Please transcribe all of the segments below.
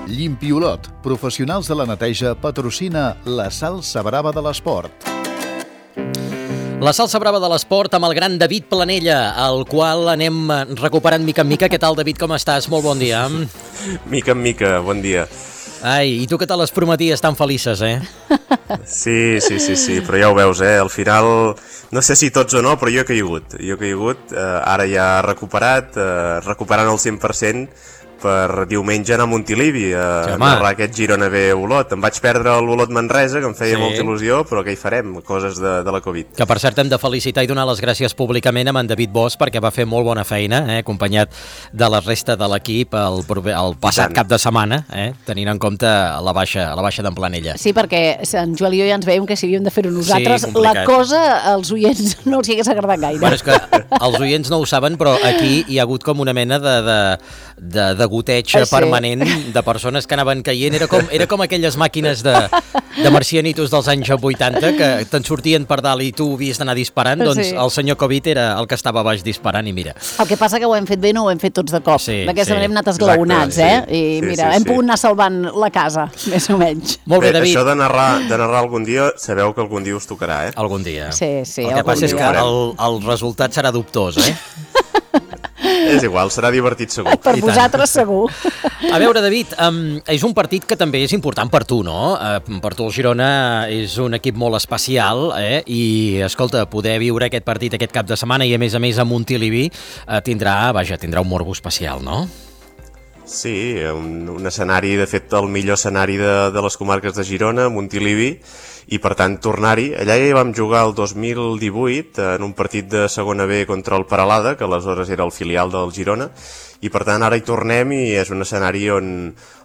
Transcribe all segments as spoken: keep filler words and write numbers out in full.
Llimpiolot, professionals de la neteja, patrocina la salsa brava de l'esport. La salsa brava de l'esport amb el gran David Planella, el qual anem recuperant mica en mica. Què tal, David, com estàs? Molt bon dia. Mica en mica, bon dia. Ai, i tu què tal les prometies tan felices, eh? Sí, sí, sí, sí, però ja ho veus, eh? Al final, no sé si tots o no, però jo he caigut. Jo he caigut, eh, ara ja recuperat, eh, recuperant el cent per cent, per diumenge anar a Montilivi a sí, narrar aquest Girona B Olot. Em vaig perdre l'Olot Manresa, que em feia sí. molta il·lusió, però què hi farem? Coses de, de la Covid. Que per cert hem de felicitar i donar les gràcies públicament amb en David Bosch, perquè va fer molt bona feina, eh, acompanyat de la resta de l'equip el, el passat cap de setmana, eh, tenint en compte la baixa, la baixa d'en Planella. Sí, perquè en Joel i jo ja ens veiem que si havíem de fer-ho nosaltres, sí, la cosa als oients no els hi hagués agradat gaire. Bueno, és que els oients no ho saben, però aquí hi ha hagut com una mena de, de, de, de goteig ah, sí. permanent de persones que anaven caient. Era com, era com aquelles màquines de, de marcianitos dels anys vuitanta que te'n sortien per dalt i tu havies d'anar disparant, doncs sí. el senyor Covid era el que estava a baix disparant i mira. El que passa que ho hem fet bé, no ho hem fet tots de cop. Sí, D'aquesta sí. manera hem anat esglaonats, eh? Sí. I sí, mira, sí, hem sí. pogut anar salvant la casa, més o menys. Molt bé, bé David. Això de narrar, de narrar algun dia, sabeu que algun dia us tocarà, eh? Algun dia. Sí, sí. El que passa dia. és que el, el resultat serà dubtós, eh? És igual, serà divertit segur. Per vosaltres segur. A veure, David, um, és un partit que també és important per tu, no? Uh, per tu el Girona és un equip molt especial, eh? I, escolta, poder viure aquest partit aquest cap de setmana i, a més a més, a Montilivi uh, tindrà, vaja, tindrà un morbo especial, no? Sí, un, un escenari, de fet, el millor escenari de, de les comarques de Girona, Montilivi, i per tant tornar-hi. Allà ja hi vam jugar el dos mil divuit en un partit de segona B contra el Peralada, que aleshores era el filial del Girona, i per tant ara hi tornem i és un escenari on,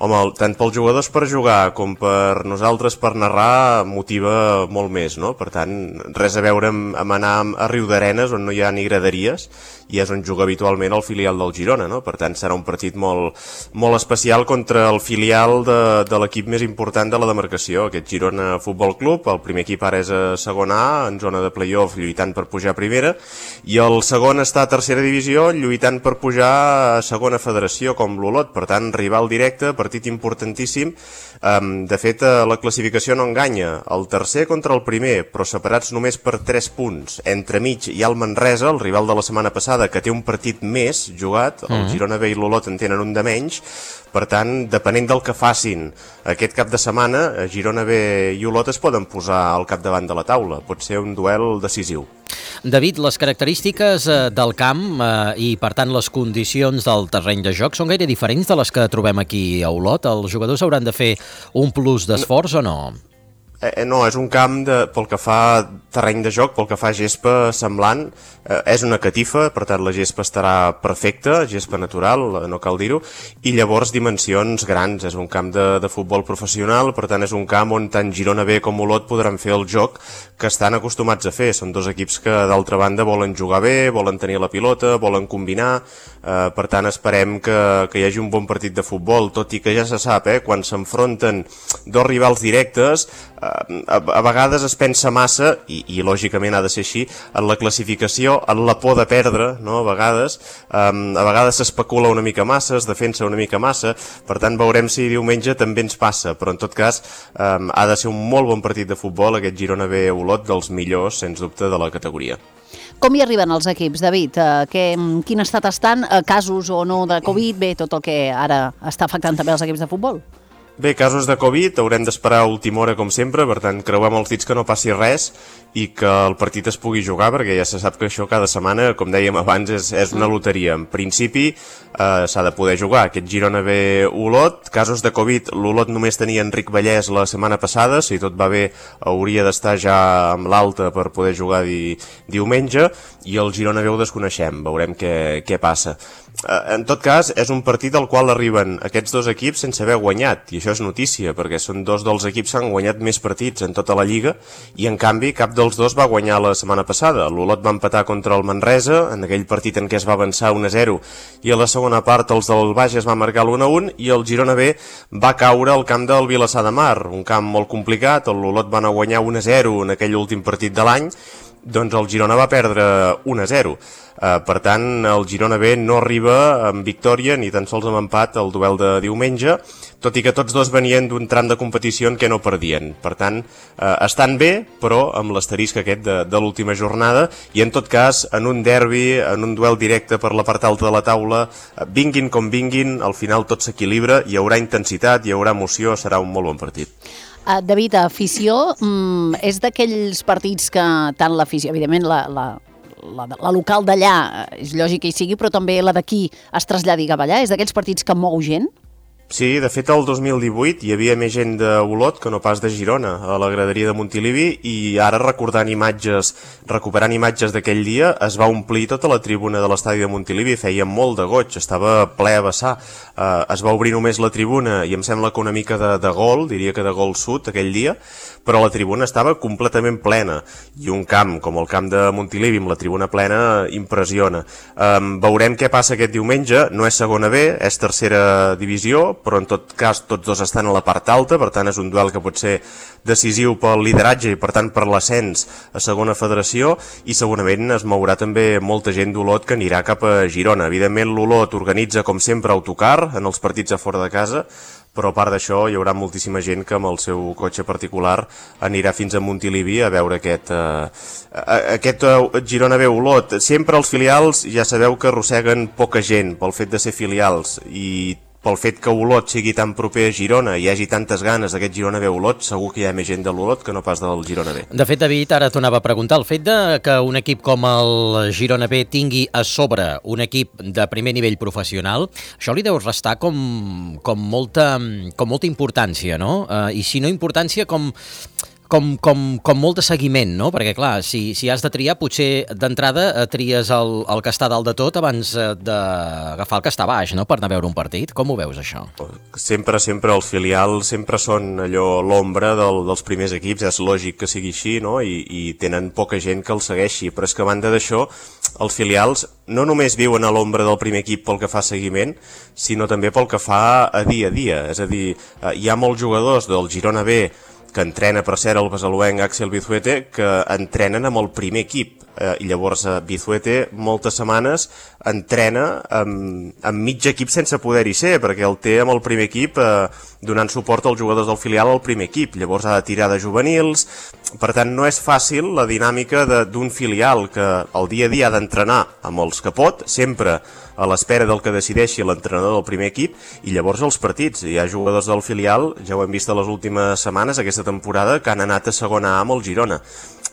home, tant pels jugadors per jugar com per nosaltres per narrar motiva molt més, no? Per tant, res a veure amb, amb anar a Riudarenes on no hi ha ni graderies i és on juga habitualment el filial del Girona, no? Per tant, serà un partit molt, molt especial contra el filial de, de l'equip més important de la demarcació, aquest Girona Futbol Club. El primer equip ara és a segona A, en zona de play-off, lluitant per pujar a primera, i el segon està a tercera divisió, lluitant per pujar a segona federació, com l'Olot. Per tant, rival directe, partit importantíssim. Um, de fet, la classificació no enganya. El tercer contra el primer, però separats només per tres punts. Entremig hi ha el Manresa, el rival de la setmana passada, que té un partit més jugat. El Girona B i l'Olot en tenen un de menys. Per tant, depenent del que facin aquest cap de setmana, Girona B i Olot es poden posar al capdavant de la taula. Pot ser un duel decisiu. David, les característiques eh, del camp eh, i, per tant, les condicions del terreny de joc són gaire diferents de les que trobem aquí a Olot? Els jugadors hauran de fer un plus d'esforç o no? Eh, no, és un camp de, pel que fa terreny de joc, pel que fa gespa semblant, eh, és una catifa, per tant la gespa estarà perfecta, gespa natural, no cal dir-ho, i llavors dimensions grans, és un camp de, de futbol professional, per tant és un camp on tant Girona B com Olot podran fer el joc que estan acostumats a fer. Són dos equips que d'altra banda volen jugar bé, volen tenir la pilota, volen combinar, eh, per tant esperem que, que hi hagi un bon partit de futbol, tot i que ja se sap, eh, quan s'enfronten dos rivals directes, A, a vegades es pensa massa, i, i lògicament ha de ser així, en la classificació, en la por de perdre, no? A vegades um, a vegades s'especula una mica massa, es defensa una mica massa, per tant veurem si diumenge també ens passa, però en tot cas um, ha de ser un molt bon partit de futbol, aquest Girona B Olot, dels millors, sens dubte, de la categoria. Com hi arriben els equips, David? Uh, que, quin estat estan? Uh, casos o no de Covid? Bé, tot el que ara està afectant també els equips de futbol? Bé, casos de Covid, haurem d'esperar a última hora com sempre, per tant creuem els dits que no passi res i que el partit es pugui jugar, perquè ja se sap que això cada setmana, com dèiem abans, és, és una loteria. En principi eh, s'ha de poder jugar aquest Girona B Olot. Casos de Covid, l'Olot només tenia Enric Vallès la setmana passada, si tot va bé hauria d'estar ja amb l'alta per poder jugar di, diumenge, i el Girona B ho desconeixem, veurem què, què passa. En tot cas, és un partit al qual arriben aquests dos equips sense haver guanyat, i això és notícia, perquè són dos dels equips que han guanyat més partits en tota la Lliga, i en canvi cap dels dos va guanyar la setmana passada. L'Olot va empatar contra el Manresa, en aquell partit en què es va avançar un a zero, i a la segona part els del Bages va marcar l'u a un, i el Girona B va caure al camp del Vilassar de Mar, un camp molt complicat. L'Olot va anar a guanyar un a zero en aquell últim partit de l'any, doncs el Girona va perdre un a zero. Uh, per tant, el Girona B no arriba amb victòria ni tan sols amb empat al duel de diumenge, tot i que tots dos venien d'un tram de competició en què no perdien. Per tant, uh, estan bé, però amb l'asterisc aquest de, de l'última jornada, i en tot cas, en un derbi, en un duel directe per la part alta de la taula, uh, vinguin com vinguin, al final tot s'equilibra, hi haurà intensitat, hi haurà emoció, serà un molt bon partit. Uh, David, afició, mm, és d'aquells partits que tant l'afició, evidentment la, la, la, la local d'allà, és lògic que hi sigui, però també la d'aquí es traslladi cap allà, és d'aquells partits que mou gent? Sí, de fet el dos mil divuit hi havia més gent d'Olot que no pas de Girona a la graderia de Montilivi, i ara recordant imatges, recuperant imatges d'aquell dia, es va omplir tota la tribuna de l'estadi de Montilivi, feia molt de goig, estava ple a vessar, uh, es va obrir només la tribuna i em sembla que una mica de, de gol, diria que de gol sud aquell dia, però la tribuna estava completament plena, i un camp com el camp de Montilivi amb la tribuna plena impressiona. Um, veurem què passa aquest diumenge, no és segona B, és tercera divisió, però en tot cas tots dos estan a la part alta, per tant és un duel que pot ser decisiu pel lideratge i per tant per l'ascens a segona federació, i segurament es mourà també molta gent d'Olot que anirà cap a Girona. Evidentment l'Olot organitza com sempre autocar en els partits a fora de casa, però a part d'això hi haurà moltíssima gent que amb el seu cotxe particular anirà fins a Montilivi a veure aquest, eh, aquest eh, Girona B Olot. Sempre els filials ja sabeu que arrosseguen poca gent pel fet de ser filials, i pel fet que Olot sigui tan proper a Girona i hi hagi tantes ganes d'aquest Girona B Olot, segur que hi ha més gent de l'Olot que no pas del Girona B. De fet, David, ara t'ho anava a preguntar, el fet de que un equip com el Girona B tingui a sobre un equip de primer nivell professional, això li deu restar com, com, molta, com molta importància, no? Uh, I si no importància, com... Com, com, com molt de seguiment, no? Perquè, clar, si, si has de triar, potser d'entrada tries el, el que està dalt de tot abans d'agafar el que està baix, no?, per anar a veure un partit. Com ho veus, això? Sempre, sempre els filials sempre són allò l'ombra del, dels primers equips, és lògic que sigui així, no?, I, i tenen poca gent que els segueixi, però és que a banda d'això, els filials no només viuen a l'ombra del primer equip pel que fa seguiment, sinó també pel que fa a dia a dia. És a dir, hi ha molts jugadors del Girona B que entrena, per cert, el besaluenc Axel Vizuete, que entrenen amb el primer equip. Eh, I llavors eh, Vizuete moltes setmanes entrena amb, amb mig equip sense poder-hi ser, perquè el té amb el primer equip eh, donant suport als jugadors del filial al primer equip. Llavors ha de tirar de juvenils. Per tant, no és fàcil la dinàmica d'un filial que el dia a dia ha d'entrenar amb els que pot, sempre a l'espera del que decideixi l'entrenador del primer equip, i llavors els partits. Hi ha jugadors del filial, ja ho hem vist a les últimes setmanes, aquesta temporada, que han anat a segona A amb el Girona.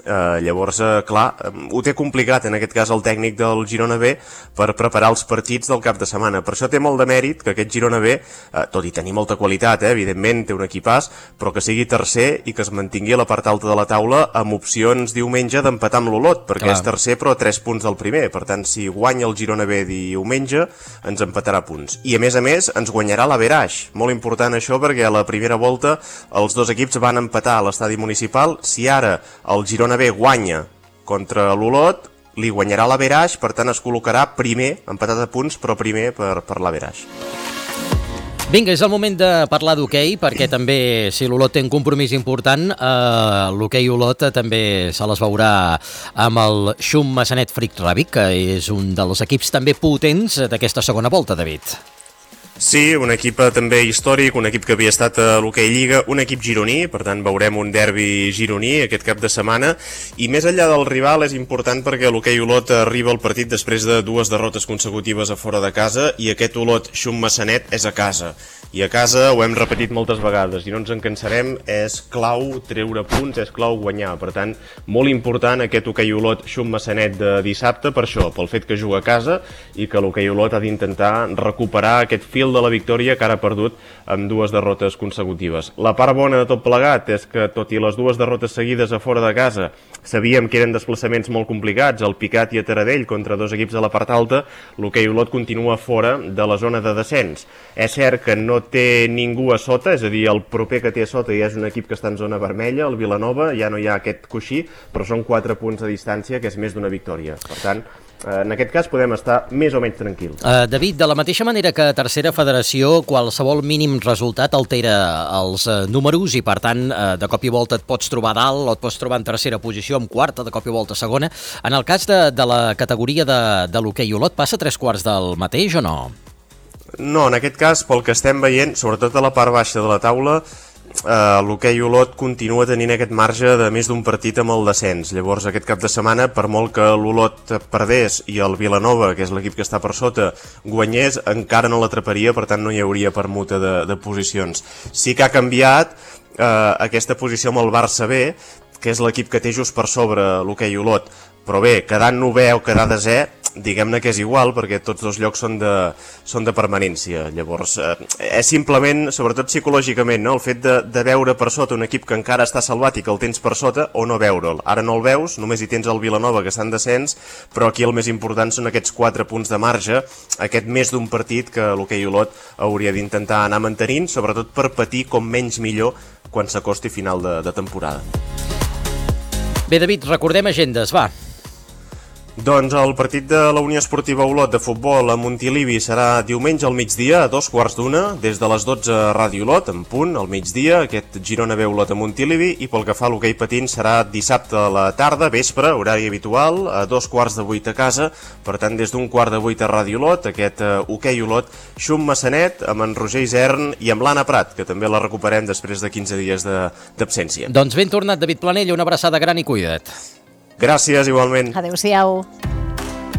Uh, llavors, uh, clar, um, ho té complicat en aquest cas el tècnic del Girona B per preparar els partits del cap de setmana. Per això té molt de mèrit que aquest Girona B, uh, tot i tenir molta qualitat, eh, evidentment té un equipàs, però que sigui tercer i que es mantingui a la part alta de la taula amb opcions diumenge d'empatar amb l'Olot, perquè clar, és tercer però a tres punts del primer. Per tant, si guanya el Girona B diumenge, ens empatarà punts. I a més a més, ens guanyarà l'Averaix. Molt important això, perquè a la primera volta els dos equips van empatar a l'estadi municipal. Si ara el Girona B guanya contra l'Olot, li guanyarà l'Averaix, per tant es col·locarà primer, empatat a punts, però primer per, per l'Averaix. Vinga, és el moment de parlar d'hoquei, perquè també, si l'Olot té un compromís important, eh, l'hoquei Olot també se les veurà amb el Xum Massanet Fric Ràbic, que és un dels equips també potents d'aquesta segona volta, David. Sí, un equip també històric, un equip que havia estat a l'Hoquei Lliga, un equip gironí, per tant veurem un derbi gironí aquest cap de setmana, i més enllà del rival és important perquè l'Hoquei Olot arriba al partit després de dues derrotes consecutives a fora de casa, i aquest Olot Xum Massanet és a casa. I a casa, ho hem repetit moltes vegades i no ens en cansarem, és clau treure punts, és clau guanyar. Per tant, molt important aquest Hoquei Olot Xum Massanet de dissabte, per això, pel fet que juga a casa i que l'Hoquei Olot ha d'intentar recuperar aquest fil de la victòria que ara ha perdut amb dues derrotes consecutives. La part bona de tot plegat és que, tot i les dues derrotes seguides a fora de casa, sabíem que eren desplaçaments molt complicats, el Picat i a Taradell contra dos equips de la part alta, l'Hoquei Olot continua fora de la zona de descens. És cert que no té ningú a sota, és a dir, el proper que té a sota ja és un equip que està en zona vermella, el Vilanova, ja no hi ha aquest coixí, però són quatre punts de distància, que és més d'una victòria. Per tant, en aquest cas podem estar més o menys tranquils. Uh, David, de la mateixa manera que a Tercera Federació, qualsevol mínim resultat altera els uh, números i, per tant, uh, de cop i volta et pots trobar dalt o et pots trobar en tercera posició, en quarta, de cop i volta segona. En el cas de, de la categoria de, de l'hoquei Olot, passa tres quarts del mateix o no? No, en aquest cas, pel que estem veient, sobretot a la part baixa de la taula, Uh, l'hoquei Olot continua tenint aquest marge de més d'un partit amb el descens. Llavors aquest cap de setmana, per molt que l'Olot perdés i el Vilanova, que és l'equip que està per sota, guanyés, encara no l'atraparia, per tant no hi hauria permuta de, de posicions. Sí que ha canviat uh, aquesta posició amb el Barça B, que és l'equip que té just per sobre l'hoquei Olot, però bé, quedant novè o quedar desè, diguem-ne que és igual, perquè tots dos llocs són de, són de permanència. Llavors, eh, és simplement, sobretot psicològicament, no? El fet de, de veure per sota un equip que encara està salvat i que el tens per sota, o no veure'l. Ara no el veus, només hi tens el Vilanova, que està en descens, però aquí el més important són aquests quatre punts de marge, aquest més d'un partit que l'hoquei Olot hauria d'intentar anar mantenint, sobretot per patir com menys millor quan s'acosti final de, de temporada. Bé, David, recordem agendes, va. Doncs el partit de la Unió Esportiva Olot de futbol a Montilivi serà diumenge al migdia a dos quarts d'una, des de les dotze a Ràdio Olot, en punt, al migdia, aquest Girona B Olot a Montilivi, i pel que fa a l'hoquei patins serà dissabte a la tarda, vespre, horari habitual, a dos quarts de vuit a casa, per tant des d'un quart de vuit a Ràdio Olot, aquest hoquei Olot, Xum Massanet, amb en Roger Isern i amb l'Anna Prat, que també la recuperem després de quinze dies d'absència. Doncs ben tornat, David Planell, una abraçada gran i cuida't. Gràcies, igualment. Adéu-siau.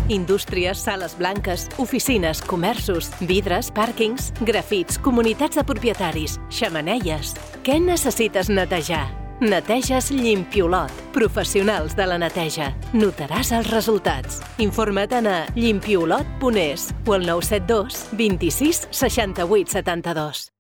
Indústries, sales blanques, oficines, comerços, vidres, pàrquings, grafits, comunitats de propietaris, xemeneies. Què necessites netejar? Neteges Llimpiolot. Professionals de la neteja. Notaràs els resultats. Informa't a llimpiolot punt es o al nou set dos, vint-i-sis, seixanta-vuit, setanta-dos.